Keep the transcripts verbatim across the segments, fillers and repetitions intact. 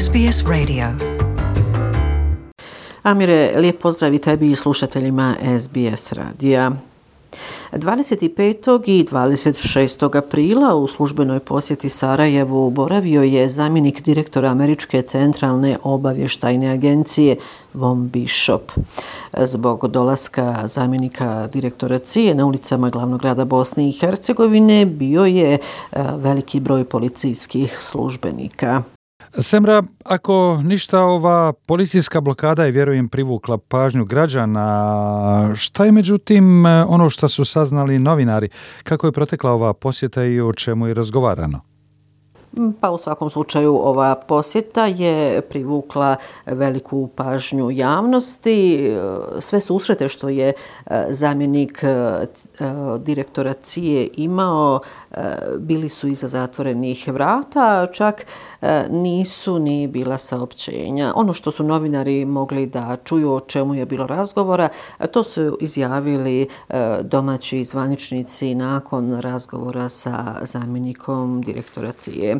S B S Radio. Amire, lijep pozdrav i tebi i slušateljima S B S radija. dvadeset petog i dvadeset šestog aprila u službenoj posjeti Sarajevu boravio je zamjenik direktora Američke centralne obavještajne agencije Von Bishop. Zbog dolaska zamjenika direktora C I A na ulicama glavnog grada Bosne i Hercegovine bio je veliki broj policijskih službenika. Semra, ako ništa, ova policijska blokada je, vjerujem, privukla pažnju građana. Šta je međutim ono što su saznali novinari? Kako je protekla ova posjeta i o čemu je razgovarano? Pa u svakom slučaju ova posjeta je privukla veliku pažnju javnosti. Sve susrete što je zamjenik direktora C I A imao bili su iza zatvorenih vrata, čak nisu ni bila saopćenja. Ono što su novinari mogli da čuju o čemu je bilo razgovora, to su izjavili domaći zvaničnici nakon razgovora sa zamjenikom direktora C I A.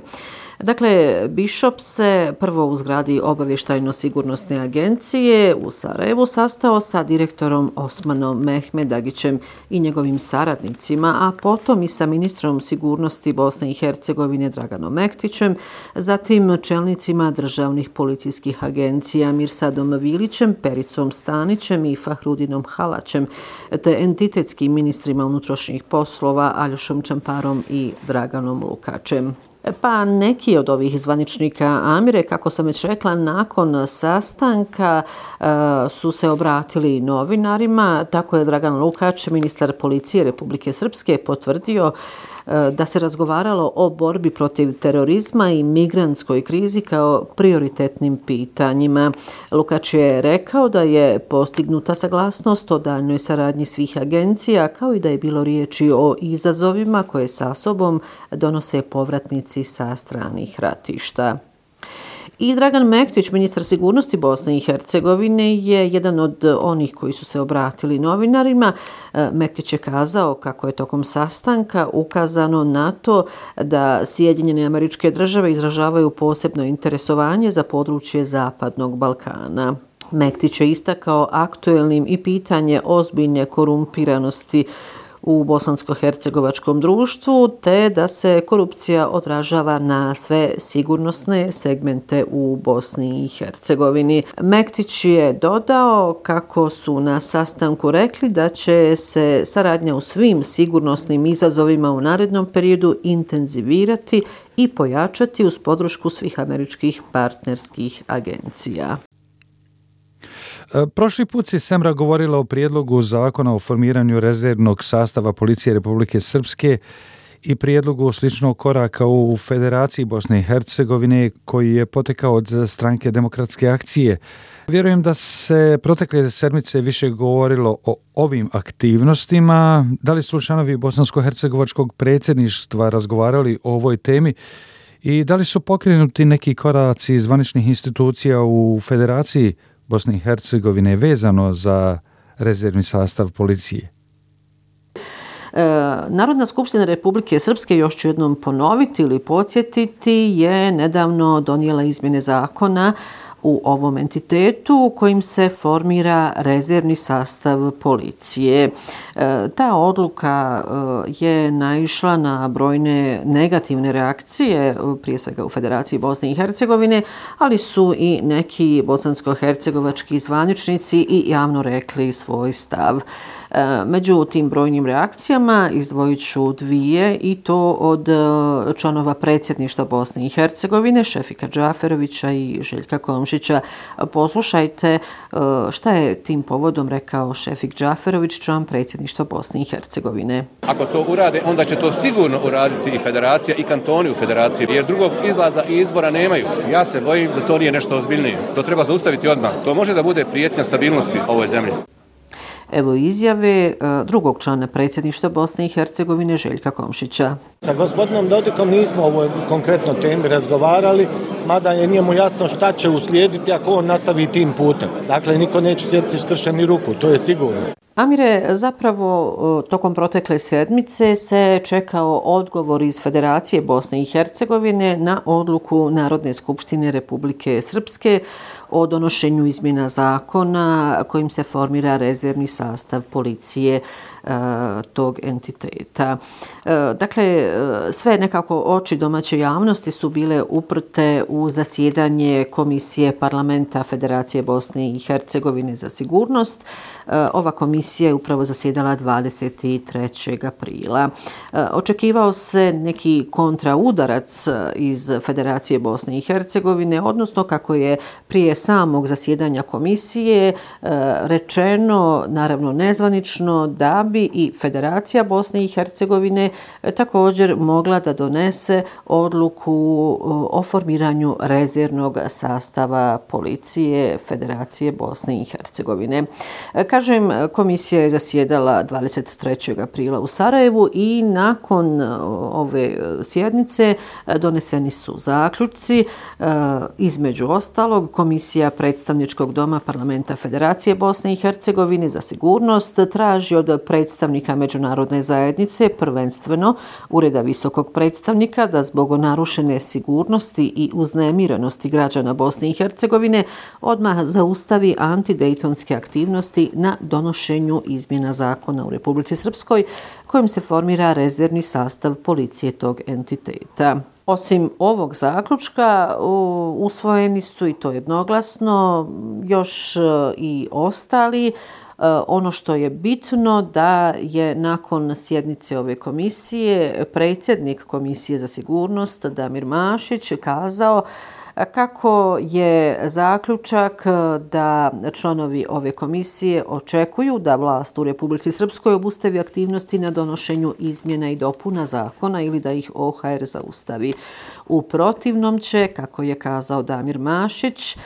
Dakle, Bishop se prvo u zgradi obavještajno-sigurnosne agencije u Sarajevu sastao sa direktorom Osmanom Mehmedagićem i njegovim saradnicima, a potom i sa ministrom sigurnosti Bosne i Hercegovine Draganom Mektićem, zatim čelnicima državnih policijskih agencija Mirsadom Vilićem, Pericom Stanićem i Fahrudinom Halaćem, te entitetskim ministrima unutrašnjih poslova Aljošom Čamparom i Draganom Lukačem. Pa neki od ovih zvaničnika, Amire, kako sam već rekla, nakon sastanka e, su se obratili novinarima. Tako je Dragan Lukač, ministar policije Republike Srpske, potvrdio e, da se razgovaralo o borbi protiv terorizma i migrantskoj krizi kao prioritetnim pitanjima. Lukač je rekao da je postignuta saglasnost o daljnjoj saradnji svih agencija, kao i da je bilo riječi o izazovima koje sa sobom donose povratnici sa stranih ratišta. I Dragan Mektić, ministar sigurnosti Bosne i Hercegovine, je jedan od onih koji su se obratili novinarima. Mektić je kazao kako je tokom sastanka ukazano na to da Sjedinjene Američke Države izražavaju posebno interesovanje za područje Zapadnog Balkana. Mektić je istakao aktuelnim i pitanje ozbiljne korumpiranosti u bosansko-hercegovačkom društvu, te da se korupcija odražava na sve sigurnosne segmente u Bosni i Hercegovini. Mektić je dodao kako su na sastanku rekli da će se saradnja u svim sigurnosnim izazovima u narednom periodu intenzivirati i pojačati uz podršku svih američkih partnerskih agencija. Prošli put si, Semra, govorila o prijedlogu zakona o formiranju rezervnog sastava Policije Republike Srpske i prijedlogu sličnog koraka u Federaciji Bosne i Hercegovine koji je potekao od Stranke demokratske akcije. Vjerujem da se protekle sedmice više govorilo o ovim aktivnostima. Da li su članovi bosansko-hercegovačkog predsjedništva razgovarali o ovoj temi i da li su pokrenuti neki koraci zvaničnih institucija u Federaciji Bosne i Hercegovine vezano za rezervni sastav policije? E, Narodna skupština Republike Srpske, još ću jednom ponoviti ili podsjetiti, je nedavno donijela izmjene zakona u ovom entitetu kojim se formira rezervni sastav policije. E, ta odluka e, je naišla na brojne negativne reakcije, prije svega u Federaciji Bosne i Hercegovine, ali su i neki bosansko-hercegovački zvaničnici i javno rekli svoj stav. Među tim brojnim reakcijama izdvojit ću dvije, i to od članova predsjedništva Bosne i Hercegovine, Šefika Džaferovića i Željka Komšića. Poslušajte šta je tim povodom rekao Šefik Džaferović, član predsjedništva Bosne i Hercegovine. Ako to urade, onda će to sigurno uraditi i federacija i kantoni u federaciji, jer drugog izlaza i izbora nemaju. Ja se bojim da to nije nešto ozbiljnije. To treba zaustaviti odmah. To može da bude prijetnja stabilnosti ovoj zemlji. Evo izjave drugog člana predsjedništva Bosne i Hercegovine, Željka Komšića. Sa gospodinom Dodikom nismo o ovoj konkretno temi razgovarali, mada je nije mu jasno šta će uslijediti ako on nastavi tim putem. Dakle, niko neće sjediti skršeni ruku, to je sigurno. Amire, zapravo tokom protekle sedmice se čekao odgovor iz Federacije Bosne i Hercegovine na odluku Narodne skupštine Republike Srpske o donošenju izmjena zakona kojim se formira rezervni sastav policije tog entiteta. Dakle, sve nekako oči domaće javnosti su bile uprte u zasjedanje Komisije Parlamenta Federacije Bosne i Hercegovine za sigurnost. Ova komisija je upravo zasjedala dvadeset trećeg aprila. Očekivao se neki kontraudarac iz Federacije Bosne i Hercegovine, odnosno kako je prije samog zasjedanja komisije rečeno, naravno nezvanično, da bi i Federacija Bosne i Hercegovine također mogla da donese odluku o formiranju rezervnog sastava policije Federacije Bosne i Hercegovine. Kažem, komisija je zasjedala dvadeset trećeg aprila u Sarajevu i nakon ove sjednice doneseni su zaključci. Između ostalog, Komisija predstavničkog doma Parlamenta Federacije Bosne i Hercegovine za sigurnost traži od predstavnika međunarodne zajednice, prvenstveno Ureda visokog predstavnika, da zbog narušene sigurnosti i uznemirenosti građana Bosne i Hercegovine odmah zaustavi antidejtonske aktivnosti na donošenju izmjena zakona u Republici Srpskoj kojim se formira rezervni sastav policije tog entiteta. Osim ovog zaključka, usvojeni su, i to jednoglasno, još i ostali. Ono što je bitno da je nakon sjednice ove komisije predsjednik Komisije za sigurnost Damir Mašić kazao kako je zaključak da članovi ove komisije očekuju da vlast u Republici Srpskoj obustavi aktivnosti na donošenju izmjena i dopuna zakona ili da ih O H R zaustavi. U protivnom će, kako je kazao Damir Mašić,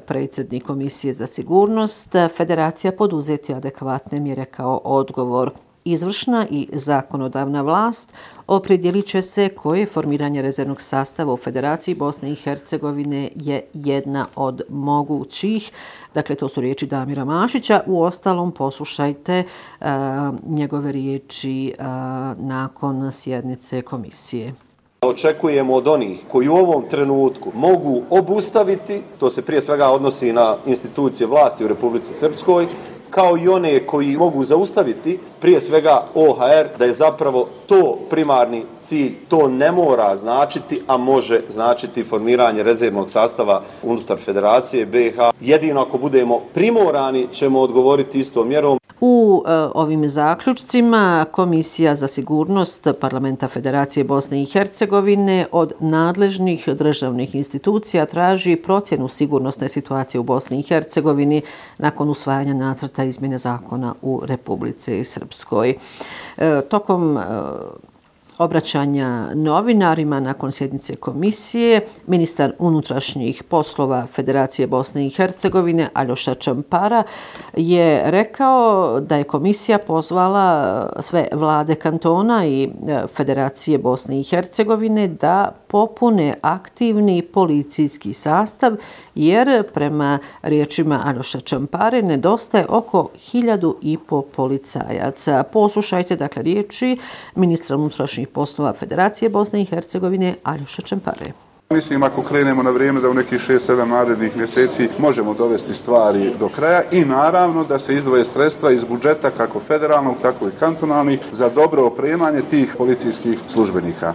predsjednik Komisije za sigurnost, Federacija poduzeti adekvatne mjere kao odgovor. Izvršna i zakonodavna vlast opredjelit će se koje formiranje rezervnog sastava u Federaciji Bosne i Hercegovine je jedna od mogućih. Dakle, to su riječi Damira Mašića. U ostalom, poslušajte uh, njegove riječi uh, nakon sjednice komisije. Očekujemo od onih koji u ovom trenutku mogu obustaviti, to se prije svega odnosi na institucije vlasti u Republici Srpskoj, kao i one koji mogu zaustaviti, prije svega O H R, da je zapravo to primarni cilj. To ne mora značiti, a može značiti formiranje rezervnog sastava unutar Federacije B H. Jedino ako budemo primorani ćemo odgovoriti istom mjerom. U e, ovim zaključcima Komisija za sigurnost Parlamenta Federacije Bosne i Hercegovine od nadležnih državnih institucija traži procjenu sigurnosne situacije u Bosni i Hercegovini nakon usvajanja nacrta izmjene zakona u Republici Srpskoj. E, tokom e, obraćanja novinarima nakon sjednice komisije, ministar unutrašnjih poslova Federacije Bosne i Hercegovine Aljoša Čampara je rekao da je komisija pozvala sve vlade kantona i Federacije Bosne i Hercegovine da popune aktivni policijski sastav, jer prema riječima Aljoša Čampare nedostaje oko hiljadu i po policajaca. Poslušajte dakle riječi ministra unutrašnjih poslova Federacije Bosne i Hercegovine Aljoša Čampare. Mislim, ako krenemo na vrijeme da u nekih šest sedam narednih mjeseci možemo dovesti stvari do kraja i naravno da se izdvoje sredstva iz budžeta kako federalnog, tako i kantonalnih za dobro opremanje tih policijskih službenika.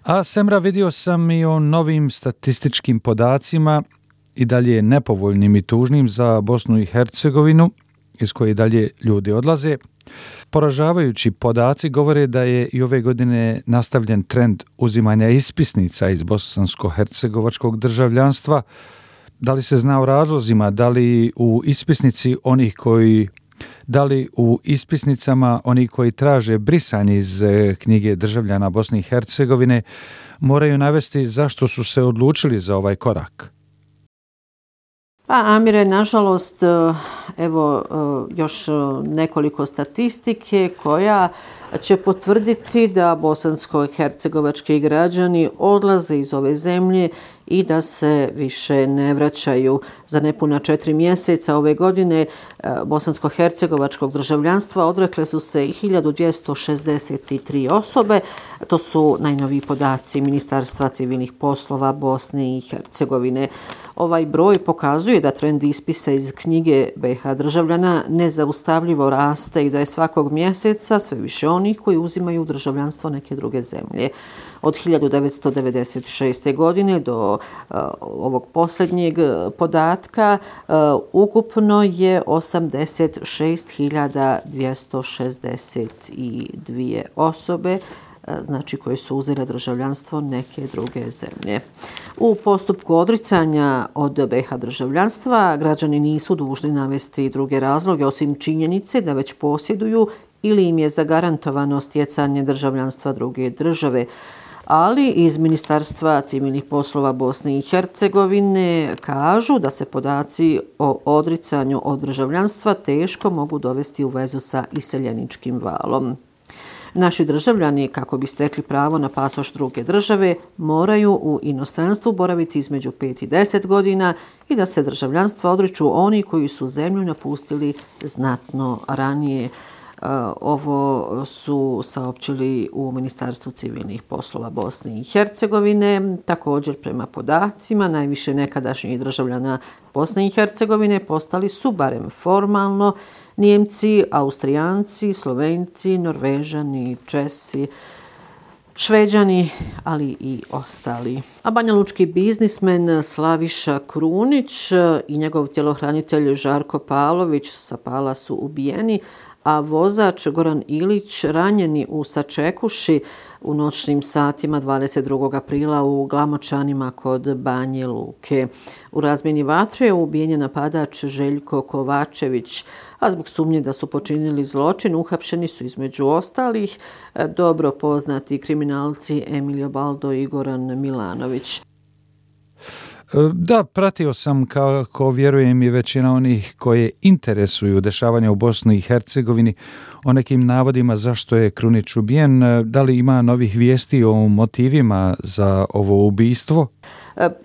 A Semra, vidio sam i o novim statističkim podacima i dalje nepovoljnim i tužnim za Bosnu i Hercegovinu, iz koje dalje ljudi odlaze. Poražavajući podaci govore da je i ove godine nastavljen trend uzimanja ispisnica iz bosansko-hercegovačkog državljanstva. Da li se zna o razlozima, da li u ispisnici onih koji Da li u ispisnicama oni koji traže brisanje iz knjige državljana Bosne i Hercegovine moraju navesti zašto su se odlučili za ovaj korak? Pa, Amire, nažalost, evo još nekoliko statistike koja će potvrditi da bosansko-hercegovački građani odlaze iz ove zemlje i da se više ne vraćaju. Za nepuna četiri mjeseca ove godine bosansko-hercegovačkog državljanstva odrekle su se hiljadu dvjesto šezdeset tri osobe. To su najnoviji podaci Ministarstva civilnih poslova Bosne i Hercegovine. Ovaj broj pokazuje da trend ispisa iz knjige be ha državljana nezaustavljivo raste i da je svakog mjeseca sve više onih koji uzimaju državljanstvo neke druge zemlje. Od hiljadu devetsto devedeset šeste. godine do uh, ovog posljednjeg podatka uh, ukupno je osamdeset šest hiljada dvjesto šezdeset dvije osobe, znači koje su uzele državljanstvo neke druge zemlje. U postupku odricanja od be ha državljanstva građani nisu dužni navesti druge razloge osim činjenice da već posjeduju ili im je zagarantovano stjecanje državljanstva druge države. Ali iz Ministarstva civilnih poslova Bosne i Hercegovine kažu da se podaci o odricanju od državljanstva teško mogu dovesti u vezu sa iseljeničkim valom. Naši državljani, kako bi stekli pravo na pasoš druge države, moraju u inostranstvu boraviti između pet i deset godina i da se državljanstva odriču oni koji su zemlju napustili znatno ranije. Ovo su saopćili u Ministarstvu civilnih poslova Bosne i Hercegovine. Također, prema podacima, najviše nekadašnjih državljana Bosne i Hercegovine postali su barem formalno Nijemci, Austrijanci, Slovenci, Norvežani, Česi, Šveđani, ali i ostali. A banjalučki biznismen Slaviša Krunić i njegov tjelohranitelj Žarko Pavlović sa Pala su ubijeni, a vozač Goran Ilić ranjeni u Sačekuši u noćnim satima dvadeset drugog aprila u Glamočanima kod Banje Luke. U razmjeni vatre ubijen je napadač Željko Kovačević, a zbog sumnje da su počinili zločin uhapšeni su između ostalih dobro poznati kriminalci Emilio Baldo i Goran Milanović. Da, pratio sam, kako vjerujem i većina onih koje interesuju dešavanja u Bosni i Hercegovini, o nekim navodima zašto je Krunić ubijen. Da li ima novih vijesti o motivima za ovo ubistvo?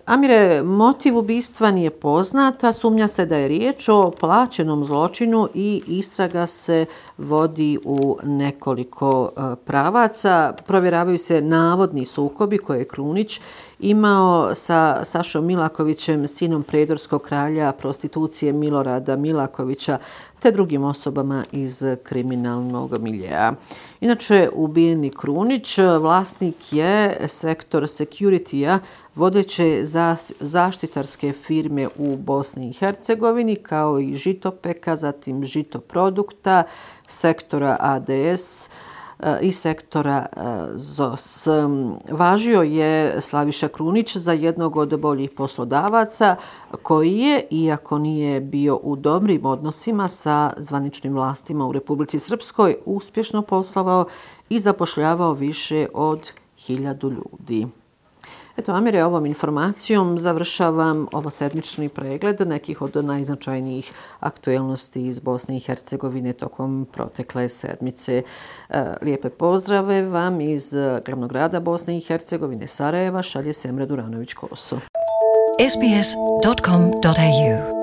Amire, motiv ubistva nije poznat, a sumnja se da je riječ o plaćenom zločinu i istraga se vodi u nekoliko pravaca. Provjeravaju se navodni sukobi koje je Krunić imao sa Sašom Milakovićem, sinom predorskog kralja prostitucije Milorada Milakovića, te drugim osobama iz kriminalnog miljea. Inače, ubijeni Krunić vlasnik je sektor security-a, vodeće zaštitarske firme u Bosni i Hercegovini, kao i Žitopeka, zatim Žitoprodukta, sektora a de es i sektora Z o s. Važio je Slaviša Krunić za jednog od boljih poslodavaca koji je, iako nije bio u dobrim odnosima sa zvaničnim vlastima u Republici Srpskoj, uspješno poslovao i zapošljavao više od hiljadu ljudi. Eto, Amire, ovom informacijom završavam ovo sedmični pregled nekih od najznačajnijih aktuelnosti iz Bosne i Hercegovine tokom protekle sedmice. Lijepe pozdrave vam iz glavnog grada Bosne i Hercegovine, Sarajeva, šalje Semra Duranović-Koso. es be es dot com dot a u